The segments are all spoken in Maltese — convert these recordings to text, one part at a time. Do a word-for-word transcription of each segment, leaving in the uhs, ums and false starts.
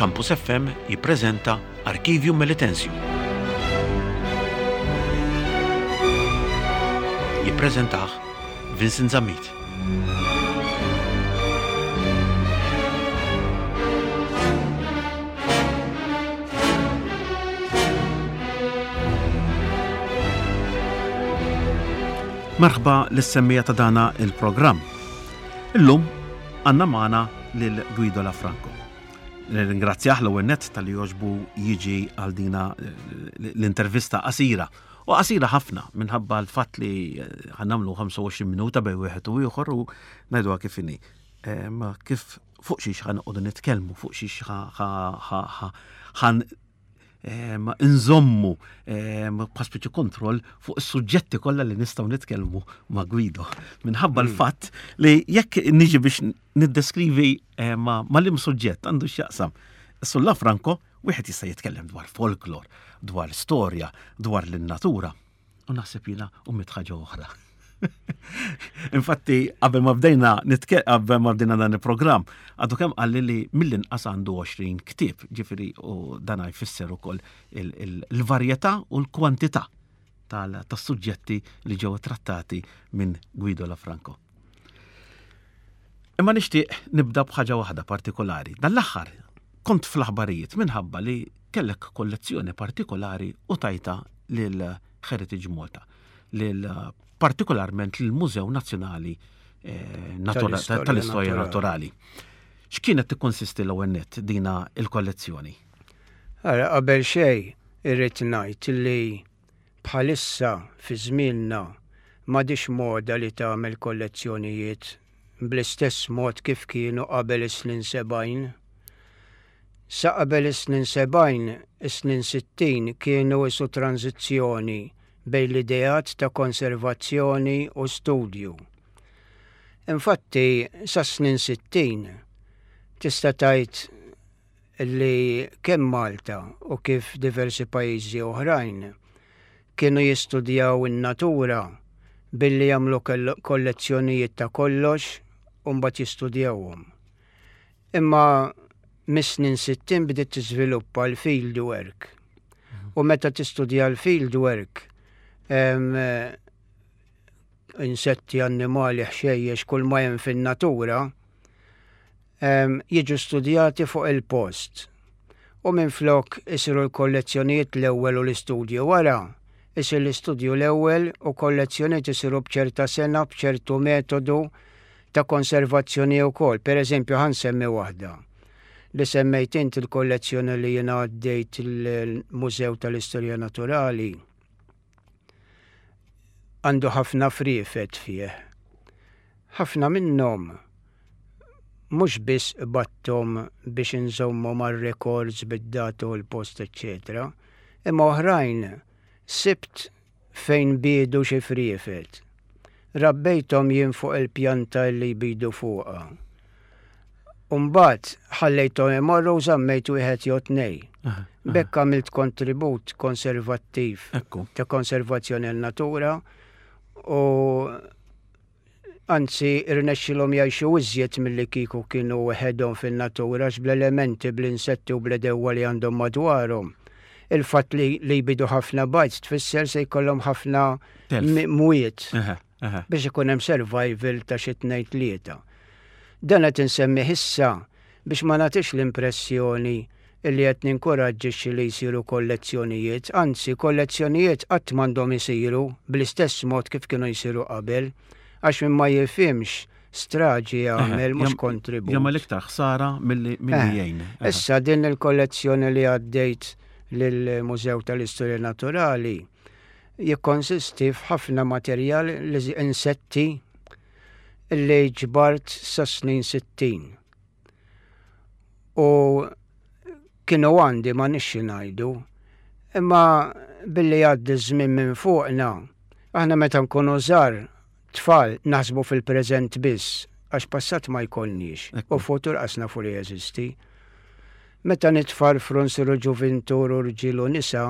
Campus F M jippreżenta Archivju Melitensium. Jippreżentah Vincent Zammit. Merħba lis-semmiegħa ta' dana il-programm. Illum għandna magħna lil Guido Lafranco. Nirringrazzjah l-ewwel nett talli għoġbu jiġi għal dina l-intervista qasira. U qasira ħafna minħabba l-fatt li ħa nagħmlu ħamsa u għoxrin minuta bejn wieħed u ieħor u ngħiduha kif inhi. Ma kif fuq xiex ħa noqogħdu nitkellmu, fuq xiex ħan nżommu bħal kontroll fuq is-suġġetti kollha li nistgħu nitkellmu ma' Guido. Minħabba l-fatt li jekk niġi biex niddeskrivi ma' ma' suġġett għandu x'jaqsam. Sulla Franco, wieħed jista' jitkellem dwar folklor, dwar storja, dwar l-natura. U naħseb jiena u mitt ħaġa oħra. Infatti, qabel ma bdejna qabel ma bdejna dan il-programm, għadu kemm qalli li mill-inqas għandu għoxrin ktieb, ġifieri u dan jfisser ukoll il-varjetà u l-kwantità tas-suġġetti li ġew trattati minn Guido Lafranco. Imma nixtieq nibda b'ħaġa waħda partikolari. Dan l-aħħar kont fl-aħbarijiet minħabba li kellek kollezzjoni partikolari u tajta lil Heritage Malta, lil partikolarment l-Mużew Nazzjonali eh, tal-Istorja Naturali. X'kienet tikkonsisti l-ewwel nett dina il-kollezzjoni? Ara, qabel xejn irrid ngħid li bħalissa fi żmienna m'għadix moda li tagħmel kollezzjonijiet bl-istess mod kif kienu qabel is-snin sebgħin. Sa qabel is-snin sebgħin, is-snin sittin kienu isu tranzizzjoni bejn l-ideat ta' konservazzjoni u studju. Infatti, sa snin sittin tista' tgħid li kemm Malta u kif diversi pajjiżi oħrajn kienu jistudjaw in-natura billi jagħmlu kollezzjonijiet ta' kollox u mbagħad jistudjawhom. Imma mis-snin sittin bdiet tiżviluppa l-field work. U meta tistudja l-field work, insetti, annimali, ħxejjex, kull ma hemm fin-natura, jiġu studjati fuq il-post. U minn flok isiru l-kollezzjonijiet l-ewwel u l-istudju wara, isir l-istudju l-ewwel u kollezzjonijiet isiru b'ċerta sena, b'ċertu metodu ta' konservazzjoni wkoll. Per eżempju, ħa nsemmi waħda li semmejt int, il-kollezzjoni li jiena għaddejt il-Mużew tal-Istorja Naturali għandu ħafna friefet fih. Ħafna minnhom mhux biss battom biex inżommu mar-records bid-data u l-post, eċċetera, imma oħrajn sibt fejn bidu xi friefet. Rabbejthom jien fuq il-pjanta li jbidu fuqha. Umbagħad ħallejthom imorru u żammejt wieħed jew tnej. B'hekk għamilt kontribut konservattiv ta' konservazzjoni l-natura u anzi irnexxilhom jgħixu iżjed milli kieku kienu weħedhom fin-natura bl-elementi, bl-insetti u bl-għedewwa li għandhom madwarhom. Il-fatt li, li jbidu ħafna bajd tfisser se jkollhom ħafna mwiet biex ikun hemm survival ta' xi tnejn tlieta. Dan qed insemmih issa biex ma nagħtix l-impressjoni illi qed ninkoraġġixxi li jsiru kollezzjonijiet, anzi kollezzjonijiet qatt m'għandhom isiru bl-istess mod kif kienu jsiru qabel, għax min ma jifhimx straġi jagħmel, mhux kontribut. Jagħmel iktar ħsara milli jgħin. Issa din il-kollezzjoni li għaddejt lill-Mużew tal-Istorja Naturali jikkonsisti f'ħafna materjal li insetti li ġbart sa snin sittin. U kienu għandi ma nixxi ngħidu, imma billi għaddi żmien minn fuqna, aħna meta nkunu żgħar tfal naħsbu fil-preżent biss, għax passat ma jkollniex, u futur qas nafu li jeżisti. Meta nitfarfru nsiru ġuvintur u rġiel u nisa,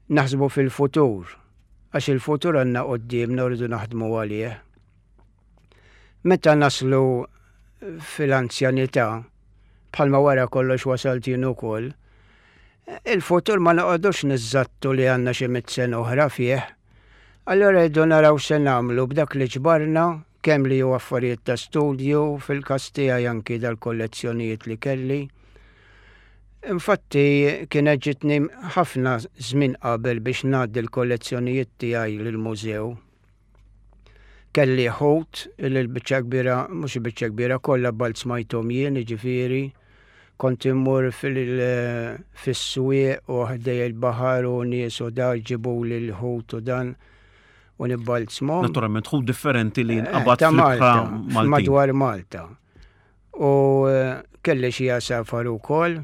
naħsbu fil-futur, għax il-futur għandna qoddiemna u rridu naħdmu għalih. Meta naslu fil-anzjanità, Bħalma wara kollox wasalt jien ukoll. Il-futur ma noqogħdux niżżattu li għandna xi mitt sena oħra fih. Allora rridu naraw se nagħmlu b'dak li ġbarna, kemm li hu affarijiet ta' studju, fil-każ tiegħi anki dal-kollezzjonijiet li kelli. Infatti kienet ġitni ħafna żmien qabel biex ngħaddi l-kollezzjonijiet tiegħi lill-mużew. Kelli ħut li l-biċċa kbira, mhux il-biċċa kbira, kollha balzmajthom jien, jiġifieri kont immur fis-swieq u ħdej il-baħar u nies u da jġibuli l-ħut u dan u nibbalzmhom. Naturalment ħut differenti li nqabad ta' fl-ibħra Malta, Maltin. Madwar Malta. U eh, kelli xi għasafar ukoll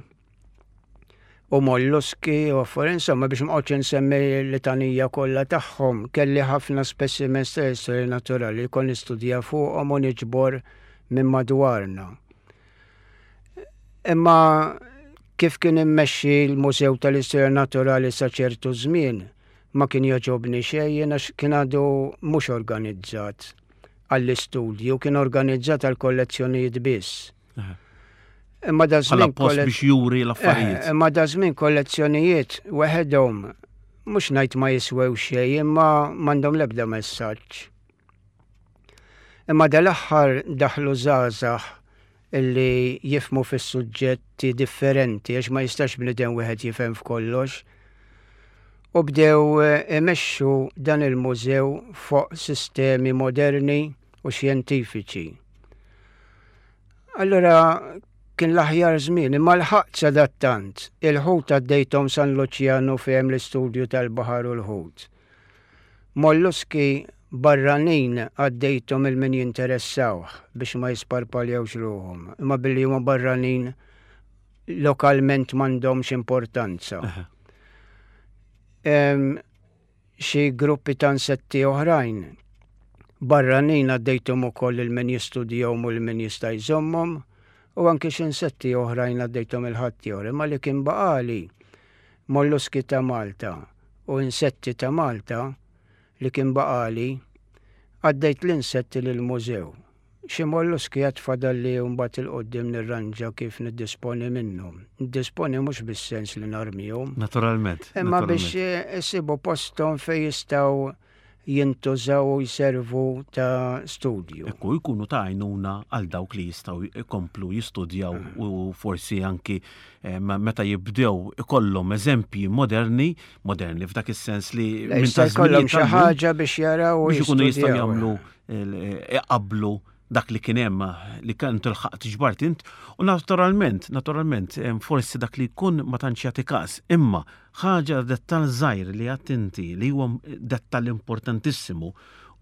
u molluski u affarijiet, insomma, biex ma noqgħodx insemmi l-litanija kollha tagħhom, kelli ħafna specimens ta' istorja naturali li kont nistudja fuqhom u niġbor minn madwarna. Imma kif kien immexxi l-Mużew tal-Istorja Naturali sa ċertu żmien, ma kien jogħġobni xejn jien għax kien għadu mhux organizzat għall-istudju, kien organizzat għall-kollezzjonijiet biss. Aha. Imma da Bħala żmien post kolle- biex juri l-affarijiet. Eh, Imma da żmien kollezzjonijiet weħedhom mhux ngħid ma jiswew xejn, imma m'għandhom l-ebda messaġġ. Imma dal-aħħar daħlu żgħażagħ illi jifhmu fis-suġġetti differenti għax ma jistax bniedem wieħed jifhem f'kollox. U bdew eh, imexxu dan il-mużew fuq sistemi moderni u xjentifiċi. Allora kien l-aħjar żmien, imma l-ħaqt sadattant, il-ħut għaddejthom San Luċjanu fejn l-istudju tal-baħar u l-ħut. Molluski barranin għaddejthom lil min jinteressawh biex ma jisparpaljawx ruħhom, imma billi huma barranin lokalment m'għandhomx importanza. Aha. Em, Xi gruppi ta' insetti oħrajn barranin għaddejthom ukoll lil min jistudjahom u lil min jista' jżommhom u anke xi insetti oħrajn għaddejthom lil ħaddieħor, imma li kien baqali molluski ta' Malta u insetti ta' Malta li kien baqali għaddejt l-insetti lill-mużew. Xi molluski għad fadalli mbagħad 'il quddiem nirranġa kif niddisponi minnhom. Niddisponi mhux bis-sens li narmihom. Naturalment. Imma biex naturalment. eh, isibu posthom fejn jistgħu jintużaw u jservu ta' studju. Ekku, jkunu ta' għajnuna għal dawk li jistgħu jkomplu jistudjaw u forsi anki eh, meta jibdew ikollhom eżempji moderni, moderni f'dak is-sens li Le, minn jista' ta' jkollhom żminijiet xi tal-lum ħaġa biex jaraw u biex ikunu jistgħu jistudjaw. jagħmlu eh, iqablu dak li kien hemm li kien tilħaq tiġbart int u naturalment, naturalment, em, forsi dak li jkun ma tantx jagħti każ, imma ħaġa dettal żgħir li għedt inti li huwa dettal importantissimu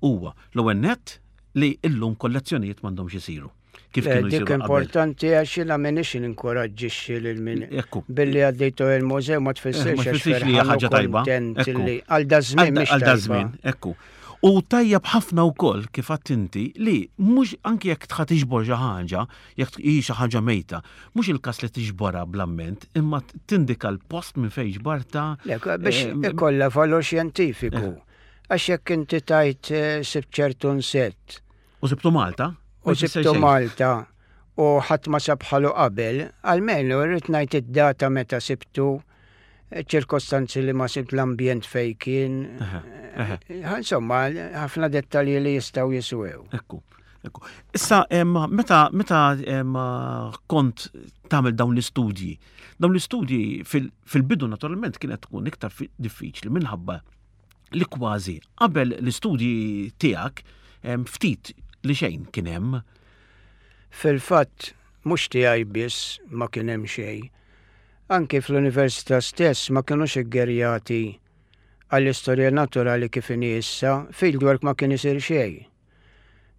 huwa l-ewwel nett li illum kollezzjonijiet m'għandhomx isiru. Kif Le, kienu dik jsiru qabel. importanti għax jiena m'iniex ninkoraġġixxi lil min Ekku. billi għaddejtu il-mużew ma Eh, tfissirx ma għax tfissirx li hija ferħan u ħaġa tajba. kontent Ekku. li għal da żmien mhix Għal da tajba. żmien, ekku. U tajjeb ħafna wkoll kif għedt inti li mhux anki jekk tħa tiġbor xi ħaġa, jekk hi xi ħaġa mejta, mhux il-każ li tiġborha bl-amment, imma tindika l-post minn fejn ġbarta. Le, biex eh, ikollha valur xjentifiku. Għax jekk inti tajt eh, sibt ċertu insett U sibtu Malta? u ma jfisser sibtu xejn. Malta u ħadd ma sab bħalu qabel, almenu rrid ngħid id-data meta sibtu, ċirkostanzi li ma sibt, l-ambjent fej kien. Eħe, eħe. Eh, Insomma, ħafna dettalji li jistgħu jiswew. Ekku, ekku. Issa, em, meta, meta em, kont tagħmel dawn l-istudji, dawn l-istudji fil- fil-bidu naturalment kienet tkun iktar fi- diffiċli minħabba li kważi qabel l-istudji tiegħek em, ftit li xejn kien hemm. Fil-fatt, mhux tiegħi biss ma kien hemm xejn. Anki fl-università stess ma kinux iggerjati għall-istorja naturali kif inhi issa, fieldwork ma kien isir xejn.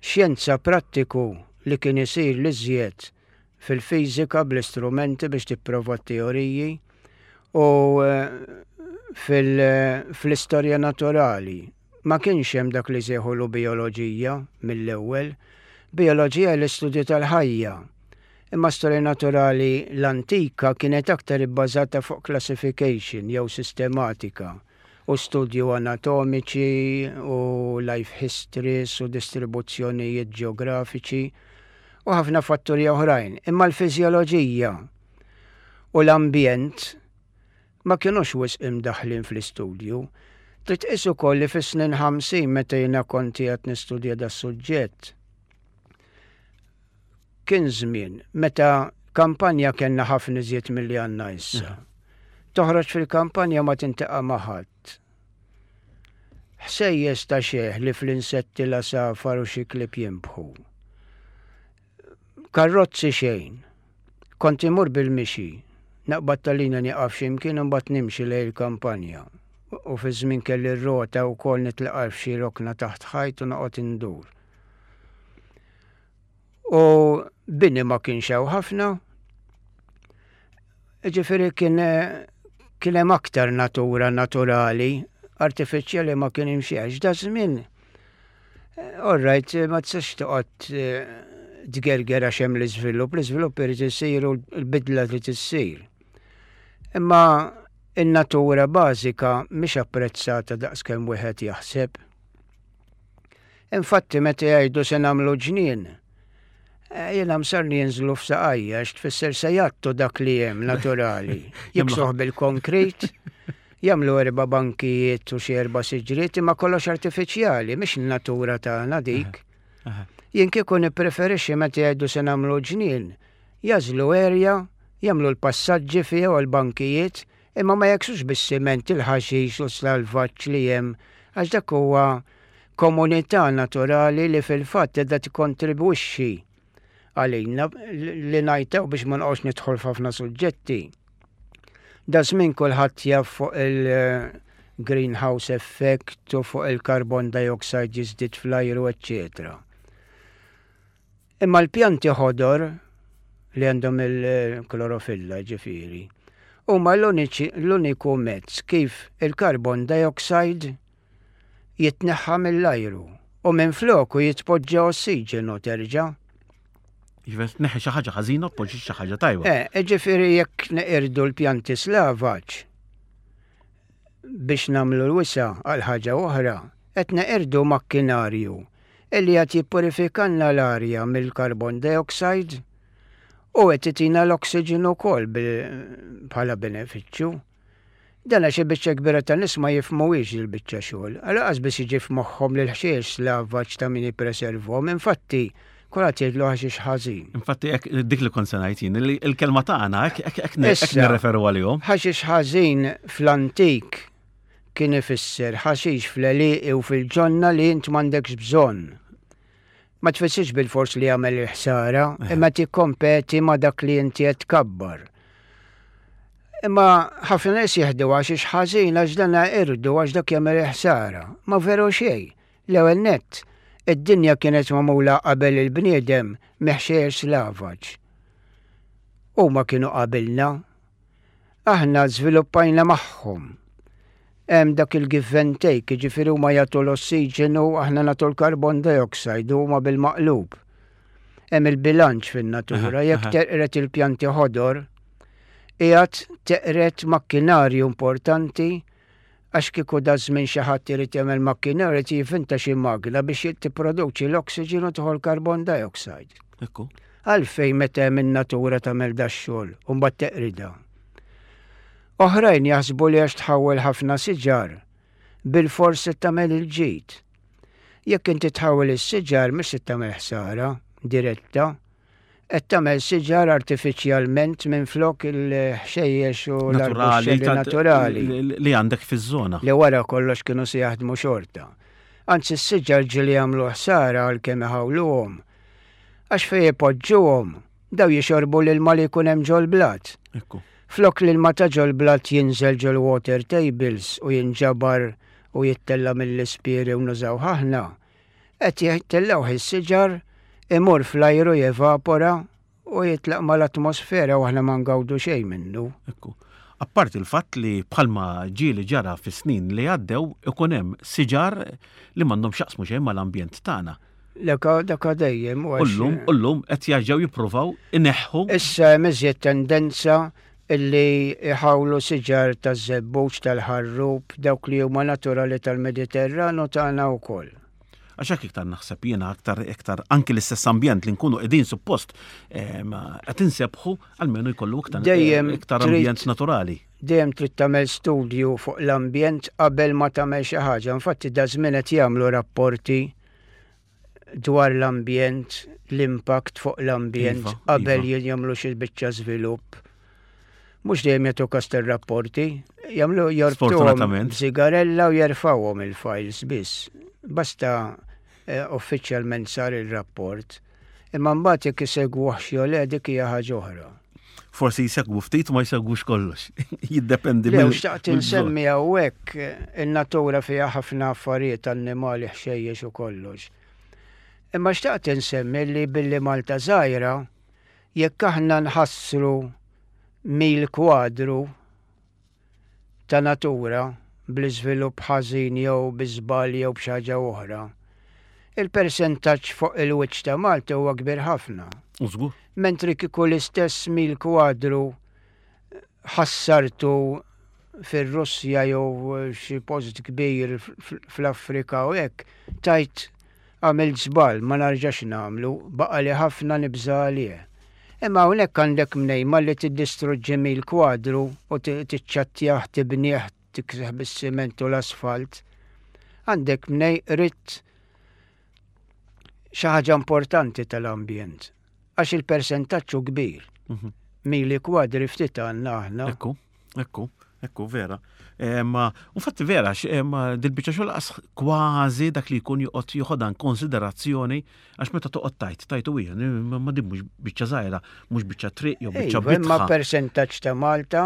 Xjenza prattiku li kien isir l-iżjed fil-fiżika bl-istrumenti biex tipprova t-teoriji u eh, fil- fl-istorja naturali. Ma kienx hemm dak li sejħulu bioloġija mill-ewwel. Bioloġija l-istudju tal-ħajja. Imma storja naturali l-antika kienet aktar ibbażata fuq classification jew sistematika u studju anatomiċi u life histories u distribuzzjonijiet ġeografiċi. U ħafna fatturi oħrajn. Imma l-fiżjoloġija u l-ambjent ma kienux wisq imdaħlin fl-istudju. Trid tqis ukoll li fis-snin ħamsin, meta jiena kont qed nistudja das-suġġett, kien żmien meta kampanja kellna ħafna iżjed milli għandna issa. Toħroġ fil-kampanja ma tiltaqa' ma' ħadd. Ħsejjes ta' xejn li fl-insetti, l-għasafar u xi klieb jinbħu. Karrozzi xejn. Kont imur bil-mixi. Naqbad tal-linja, nieqaf x'imkien, imbagħad nimxi lejn il-kampanja. U fi żmien kelli r-rota wkoll, nitlaqa f'xi rokna taħt ħajt u noqgħod indur. U bini ma kienx hawn ħafna. Ġifieri kien kien hemm aktar natura naturali, artifiċjali ma kien imxiex. Da żmien, all right, ma tistax toqgħod eh, tgerger għax hemm l-iżvilupp, l-iżvilupp irid isir u l-bidla trid issir. Imma in-natura bażika mhix apprezzata daqskemm wieħed jaħseb. Infatti meta jgħidu se nagħmlu ġnien, eh, jiena msarni jinżlu f'saqajja, għax tfisser se jgħattu dak li hemm naturali. Jiksuh bil-konkrit, jagħmlu erba' bankijiet u xi erba' siġriet, imma kollox artifiċjali, mhix in-natura tagħna dik. Aha. Jien kieku nippreferixxi meta jgħidu se nagħmlu ġnien, jagħżlu erja, jagħmlu l-passaġġi fiha u l-bankijiet, imma ma jeksux bis-siment il-ħaxix u s-salvaġġ li hemm, għax dak huwa komunità naturali li fil-fatt qiegħda tikkontribwixxi għalina li ngħidu biex ma nqgħodx nidħol f'ħafna suġġetti. Da żmien kulħadd jaf fuq il-greenhouse effect u fuq il-carbon dioxide jiżdied fl-ajru, eccetera. Imma l-pjanti ħodor li għandhom il-klorofilla, ġifieri, huma l-uniċi- l-uniku mezz kif il-carbon dioxide jitneħħa mill-ajru u minn floku jitpoġġa ossiġenu terġa'. Ġifieri tneħħi xi ħaġa ħażina u tpoġġi xi ħaġa tajba. Eh, ġifieri jekk neqirdu l-pjanti slavaġ biex nagħmlu l-wisa' għal ħaġa oħra, qed neqirdu makkinarju illi qed jippurifikanna l-arja mill-carbon dioxide u qed itina l-oksiġenu wkoll bil- bħala benefiċċju. Dan għax il-biċċa kbira ta' nies ma jifhmuhiex il-biċċa xogħol. Għalaqas biss jiġi f'moħħhom li l-ħxejjex slavaġ ta' min jippreservhom. Infatti, kulħadd jgħidlu ħaxix ħażin. Infatti hekk dik li kont se ngħid jien, li l-kelma tagħna hekk hekk hekk hekk Issa. nirreferu għalihom. Ħaxix ħażin fl-antik kien ifisser ħaxix fl-għelieqi u fil-ġonna li int m'għandekx bżonn. Ma tfissirx bil-fors li jagħmel il-ħsara, imma tikkompeti ma dak li inti qed tkabbar. Imma ħafna nies jieħdu ħaxix ħażin għax dan irdu, għax dak jagħmel il-ħsara. Ma veru xejn. L-ewwel nett, id-dinja kienet magħmula qabel il-bniedem mill-ħxejjex slavaġ. Huma kienu qabilna. Aħna żviluppajna magħhom. Hemm dak il-give and take, jiġifieri huma jagħtu l-ossiġenu, aħna nagħtu l-carbon dioxide, huma bil-maqlub. Hemm il-bilanċ fin-natura, Aha, jekk aha. teqret il-pjanti ħodor, qiegħed teqret makkinarju importanti, għax kieku da żmien xi ħadd irid jagħmel makkinarju jivvinta xi magna biex tipproduċi l-oksiġenu, tieħu l-carbon dioxide. Ekku. Għalfejn meta hemm in-natura tagħmel dax-xogħol u mbagħad teqrida? Oħrajn jaħsbu li għax tħawwel ħafna siġar, bil-fors se tagħmel il-ġid. Jekk inti tħawwel is-siġar, mhux se tagħmel ħsara diretta, qed tagħmel siġar artifiċjalment minn flok il-ħxejjex u Naturali l-arbuxxelli ta'- naturali li li għandek fiż-żona. Li wara kollox kienu se jaħdmu xorta. Anzi, s-siġar ġieli jagħmlu ħsara għal kemm iħawluhom. Għax fejn ipoġġuhom, daw jixorbu l-ilma li jkun hemm ġol-blat. Ekku. Flok l-ilma ta' ġol-blat jinżel ġol water tables u jinġabar u jittella mill-ispiri u nużaw aħna, qed jittellawh is-siġar, imur fl-ajru, jevapora u jitlaq mal-atmosfera u aħna ma ngawdu xejn minnu. Ekku. Apparti il-fatt li bħalma ġieli ġara fis-snin li għaddew, ikun hemm siġar li m'għandhom x'jaqsmu xejn mal-ambjent tagħna. Leka daka dejjem. u għax- Ullum, ullum qed jerġgħu jippruvaw ineħħu. Issa hemm iżjed tendenza illi iħawlu siġar taż-żebbuġ, tal-ħarrub, dawk li huma naturali tal-Mediterranu tagħna wkoll. Għax hekk iktar naħseb jiena aktar iktar anki l-istess ambjent li nkunu qegħdin suppost qed insebħu almenu jkollu iktar Dejjem iktar trid- ambjent naturali. Dejjem trid tagħmel studju fuq l-ambjent qabel ma tagħmel xi ħaġa. Infatti da żmien qed jagħmlu rapporti dwar l-ambjent, l-impact fuq l-ambjent Iva, qabel iva. jagħmlu xi biċċa żvilupp. Mhux dejjem jagħtu kas ir-rapporti, jagħmlu jorbtuhom Sfortunatament. sigarella u jerfgħuhom il-files biss. Basta eh, uffiċjalment sar il-rapport. Imma mbagħad jekk isegwuh jew le dik hija ħaġa oħra. Forsi jsegwu ftit u ma jsegwux kollox. Jiddependi Le, mill- u xtaqt mill-bżonn. insemmi hawnhekk eh, in-natura fiha ħafna affarijiet annimali ħxejjex u kollox. Imma xtaqt insemmi li billi Malta żgħira, jekk aħna nħassru mil kwadru ta' natura bl-iżvilupp ħażin jew bi żball jew b'xi ħaġa oħra, il-persentaġġ fuq il-wiċċ ta' Malta huwa kbir ħafna. U żgur. Mentri kieku l-istess mil kwadru ħassartu fir-Russja jew xi post kbir fl-Afrika u hekk, tajt għamilt żball ma narġax nagħmlu, baqa li ħafna nibża għalih. Imma hawnhekk għandek mnejma li tiddistruġġi mil kwadru u tiċċattjah tibnieh tiksih bis-siment u l-asfalt. Għandek mnej ritt xi ħaġa importanti tal-ambjent. Għax il-persentaġġ hu kbir. Mhm. Mili kwadri ftit għandna aħna. Ekku, ekku, ekku, vera. Ma, infatti vera, ma dil-biċċa xogħol qas kważi dak li jkun joqgħod joħodha konsiderazzjoni għax meta toqgħod tajt, tajt u hija, ma din mhux biċċa żgħira, mhux biċċa triq jew biċċa Iva, imma bitħa. persentaġġ ta' Malta,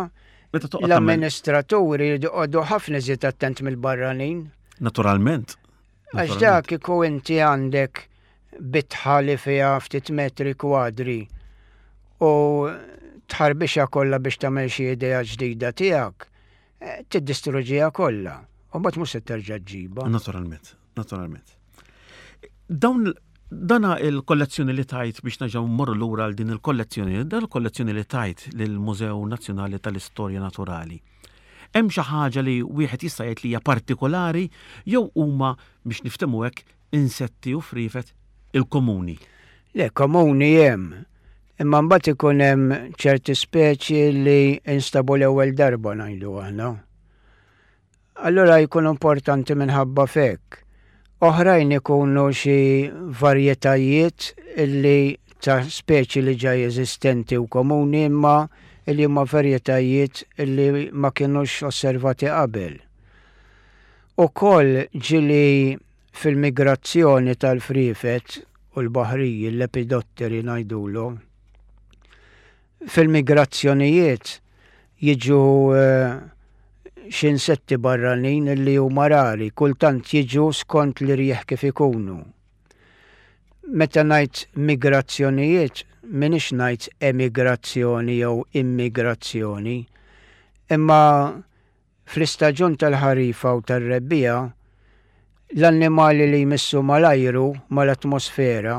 Meta toqgħod tagħmel- l-amministraturi jridu ħafna iżjed attent mill-barranin. Naturalment. Għax dak kieku inti għandek bitħa li fiha ftit metri kwadri u tħarbixa kollha biex tagħmel xi idea ġdida tiegħek, eh, tiddistruġiha kollha. U mbagħad mhux se terġa' ġġibha. Naturalment, naturalment. Dawn dana il-kollezzjoni li tajt biex nerġgħu mmorru lura għal din il-kollezzjoni, dan il-kollezzjoni li tajt lill-Mużew Nazzjonali tal-Istorja Naturali. Hemm xi ħaġa li wieħed jista' jgħid li hija partikolari jew huma biex niftehmu hekk insetti u frifet il-komuni. Le, komuni hemm. Imma mbagħad ikun hemm ċerti speċi li instabu l-ewwel darba ngħidu aħna. Allura jkun importanti minħabba fek. Oħrajn ikunu xi varjetajiet illi ta' speċi li ġa jeżistenti u komuni imma illi huma varjetajiet illi ma kienux osservati qabel. Ukoll ġili fil-migrazzjoni tal-frifet u l-baħriji, l-lepidotteri ngħidulu, fil-migrazzjonijiet jiġu eh, xi insetti barranin li huma rari, kultant jiġu skont li rieħ kif ikunu. Meta ngħid migrazzjonijiet, m'iniex ngħid emigrazzjoni jew immigrazzjoni, imma fl-istaġun tal-ħarifa u tar-rebbiegħa l-annimali li jmissu mal-ajru, mal-atmosfera,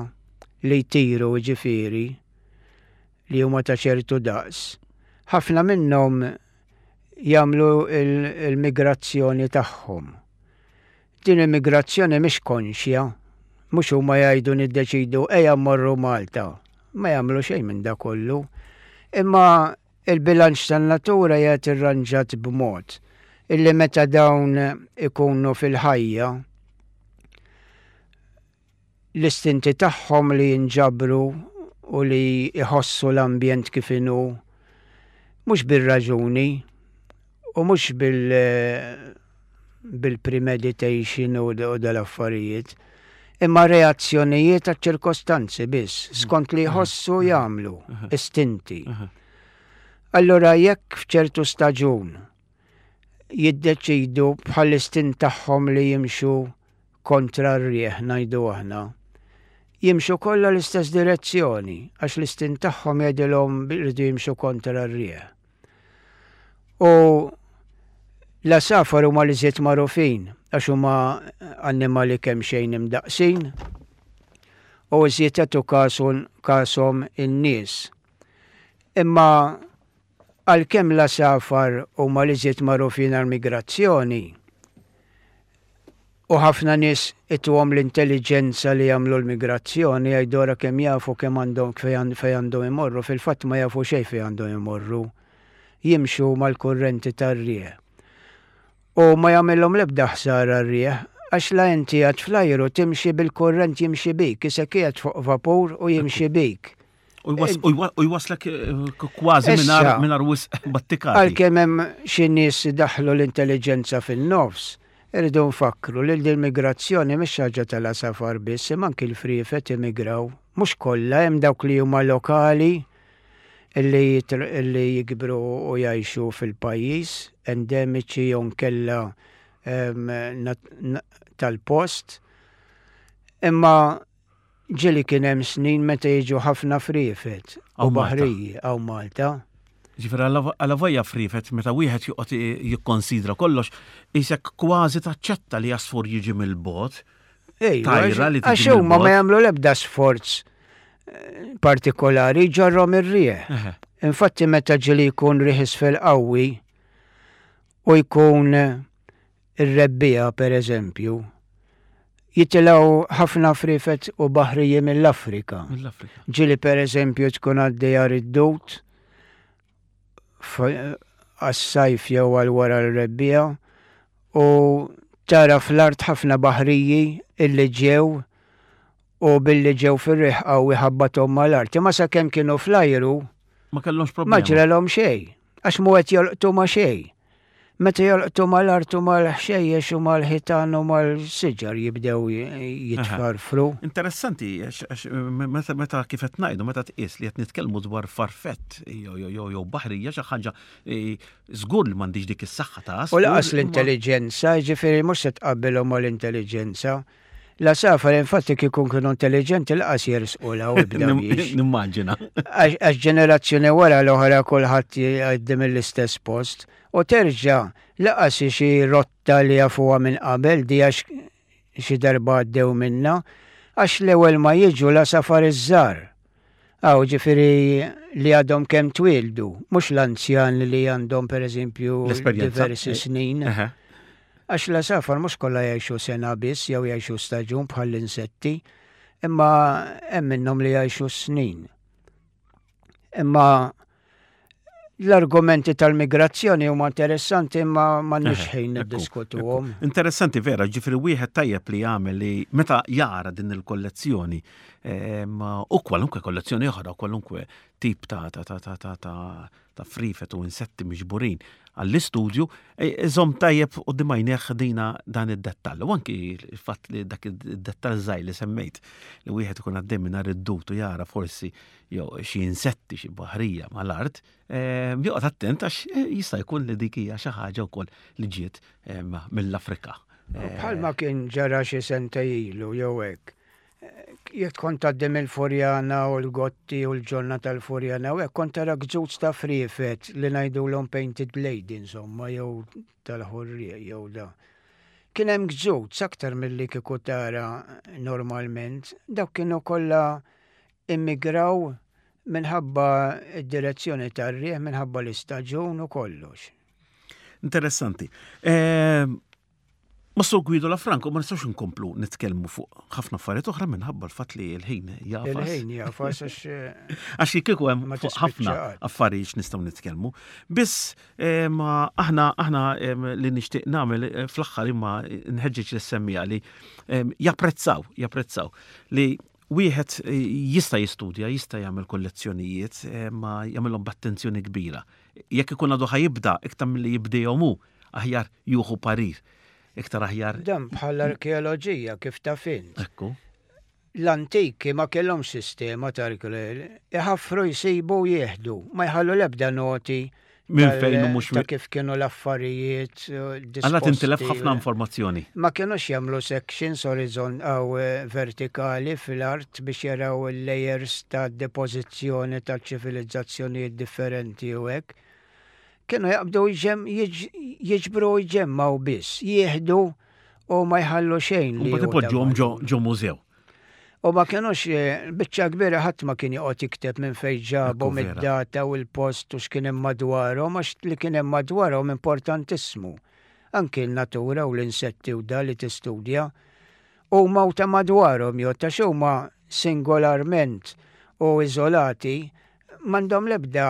li jtiru ġifieri, li huma ta' ċertu daqs, ħafna minnhom jagħmlu il-migrazzjoni tagħhom. Din il-migrazzjoni mhix konxja, mhux huma jgħidu niddeċidu ejja mmorru Malta. Ma jagħmlu xejn minn da kollu. Imma il-bilanċ tan-natura qiegħed irranġat b'mod illi meta dawn ikunu fil-ħajja l-istinti tagħhom li jinġabru u li jħossu l-ambjent kif inhu mhux bir-raġuni u mhux bil bil-premeditation u dal-affarijiet, imma reazzjonijiet għat ċirkostanzi biss, skont li jħossu jagħmlu, istinti. Allora jekk f'ċertu staġun jiddeċidu bħal-istint tagħhom li jimxu kontra r-rieħ ngħidu aħna, jimxu kollha l-istess direzzjoni għax l-istint tagħhom jgħidilhom jridu jimxu kontra r-rieħ. U l-għasafar huma li żied magħrufin għax huma annimali kemm xejn imdaqsin u iżjed jagħtu kasom in-nies. Imma għalkemm l-għasafar huma li żied magħrufin għall-migrazzjoni, U ħafna nies ituhom l-intelligenza li jagħmlu l-migrazzjoni, jgħidu ara kemm jafu kemm għandhom fejn fejn għandhom imorru, fil-fatt ma jafu xejn fejn għandhom imorru. Jimxu mal-kurrenti tar-rieħ. U ma jagħmilhom l-ebda ħsara r-rieħ, għax la inti għad fl-ajru timxi bil-kurrent jimxi bik, isek qiegħed fuq vapur u jimxi bik. U jwas- u jwa- u jwaslek eh, kważi Issa, mingħajr mingħajr wisq battikati. Għalkemm hemm xi nies daħlu l-intelligenza fin-nofs, irridu nfakru li l-migrazzjoni mhix ħaġa tal-għasafar biss, imma anki l-friefet immigraw. Mhux kollha, hemm dawk li huma lokali illi jitr- illi jikbru u jgħixu fil-pajjiż, endemiċi jew nkella em, nat- na- tal-post. Imma ġieli kien hemm snin meta jiġu ħafna friefet u Hawn Malta. baħriji hawn Malta. Ġifieri għala vojja friefet, meta wieħed joqgħod jikkonsidra kollox, isek kważi taċċetta li għasfur jiġi mill-bogħod. Ejwa, Tajra li tiġi għax huma ma mill-bogħod. jagħmlu l-ebda sforz eh, partikolari, ġarrom ir-rieħ. Eħe. Infatti meta ġieli jkun riħ isfel qawwi u jkun eh, ir-rebbiegħa, per eżempju, jitilgħu ħafna friefet u baħriji mill-Afrika. Mill-Afrika. Ġieli, per eżempju, tkun għaddejja id-dut għas-sajf jew għal wara l-rebbiegħa u tara fl-art ħafna baħriji illi ġew u billi ġew fir-riħ qawwi ħabbathom mal-art. Imma sakemm kienu fl-ajru Ma kellhomx ma problema. ġralhom xejn, għax mhu qed jolqtu ma' xejn. Meta jolqtu mal-art u mal-ħxejjex u mal-ħitan u mal-siġar jibdew jitfarfru. Interessanti, għax- għax meta meta kif qed ngħidu, meta tqis li qed nitkellmu dwar farfett jew jew jew jew baħrija, xi ħaġa eh, żgur li m'għandix dik is-saħħa ta' U lanqas għasfur, imma- l-intelligenza, ġifieri mhux se tqabbilhom mal-intelligenza. L-għasafar infatti kieku kienu intelligenti lanqas jersqu la u ibda biex. Nimmaġina. Għax għax ġenerazzjoni wara l-oħra kulħadd jgħaddi mill-istess post. U terġa' lanqas xi rotta li jafuha minn qabel di, għax xi darba għaddew minna, għax l-ewwel ma jiġu l-għasafar iż-żgħar. Aw, ġifieri li għadhom kemm twildu, mhux l-anzjan li għandhom, per eżempju, L-esperjenza. diversi snin. Eħe. Għax l-għasafar mhux kollha jgħixu sena biss jew jgħixu staġun bħall-insetti, imma hemm minnhom li jgħixu snin. Imma l-argumenti tal-migrazzjoni huma interessanti, imma m'għandniex ħin Ekku, niddiskutuhom. ekku. Interessanti vera, ġifieri wieħed tajjeb li jagħmel li meta jara din il-kollezzjoni em, u kwalunkwe kollezzjoni oħra, u kwalunkwe tip ta' ta' ta' ta' ta' ta' ta' friefet u insetti miġburin għall-istudju, e, iżomm tajjeb quddiem għajnejh dina dan id-dettall. U anki il-fatt li dak id-dettall żgħir li semmejt, li wieħed ikun għaddej minn id-dut u jara forsi jew xi insetti, xi baħrija mal-art, em, joqgħod attent għax eh, jista' jkun li dik hija xi ħaġa wkoll li ġiet em, mill-Afrika. Bħalma kien ġara xi sentejn ilu jew hekk. Jekk kont għaddi mill-Furjana u l-Gotti u l-ġonna tal-Furjana u hekk, kont tara gżuz ta' friefet li ngħidulhom painted lady, insomma, jew tal-ħurrieq jew da. Kien hemm gżuz aktar milli kieku tara normalment. Dawk kienu kollha immigraw minħabba id-direzzjoni tar-rieħ, minħabba l-istaġun u kollox. Interessanti. Eh, Mas-Sur Guido Lafranco ma nistgħux nkomplu nitkellmu fuq ħafna affarijiet oħra minħabba l-fatt li l-ħin jagħfas. Il-ħin jagħfas għax eh, Għax kieku hemm ma fuq ħafna tispiċċa qatt. affarijiet nistgħu nitkellmu. Biss eh, ma aħna aħna em, li nixtieq nagħmel eh, fl-aħħar, imma nħeġġeġ lis-semmiegħa li em, japprezzaw, japprezzaw li wieħed eh, jista' jistudja, jista' jagħmel kollezzjonijiet, eh, ma jagħmelhom b'attenzjoni kbira. Jekk ikun għadu ħa jibda, iktar milli jibdejhom hu, aħjar jieħu parir. Iktar aħjar. Dan bħal arkeoloġija, kif taf int. Ekku. L-antiki ma kellhom sistema ta' arkeoloġija. Iħaffru, jsibu, jieħdu. Ma jħallu l-ebda noti Minn tal- fejn u mhux ta' kif kienu l-affarijiet. Għalla tintilef ħafna informazzjoni. Ma kienux jagħmlu sections horizon aw eh, vertikali fil-art biex jaraw il-layers ta' depożizzjoni ta' ċivilizzazzjonijiet differenti u hekk. Kienu jaqbdu jġem, jiġ- jiġbru, jġemmaw biss, jieħdu u ma jħallu xejn U li mbagħad hu ta' ipoġġuhom ġo valur. ġo mużew. U ma kienux, eh, biċċa kbira ħadd ma kien joqgħod jikteb minn fejn ġabu, Ekku vera. mid-data u l-post u x'kien hemm madwarhom, għax li kien hemm madwarhom importantissimu. Anki l-natura u l-insetti u da li tistudja huma u ta' madwarhom jew ta' huma singolarment u iżolati m'għandhom l-ebda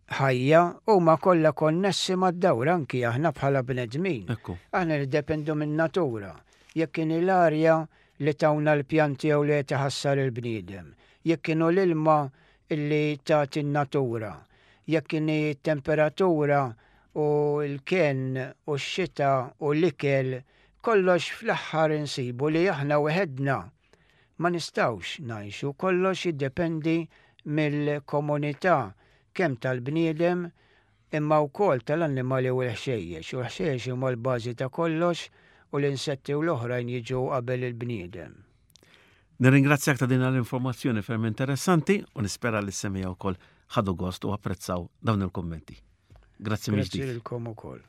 ħajja, huma kollha konnessi mad-dawra, anki aħna bħala bnedmin. Ekku. Aħna niddependu min-natura. Jekk kien l-arja li tawna l-pjanti jew li taħassar il-bniedem, jekk kienu l-ilma illi tagħti n-natura, jekk kien temperatura u l-ken u x-xita u l-ikel, kollox fl-aħħar insibu li aħna weħedna ma nistgħux ngħixu, kollox jiddependi mill-komunità kemm tal-bniedem imma wkoll tal-annimali u l-ħxejjex. U l-ħxejjex huma l-bażi ta' kollox u l-insetti u l-oħrajn jiġu qabel il-bniedem. Nirringrazzjak ta' din l-informazzjoni ferm interessanti u nispera li s-semmiegħa wkoll ħadu gost u apprezzaw dawn il-kommenti. Grazzi Grazzi mill-ġdid. lilkom ukoll.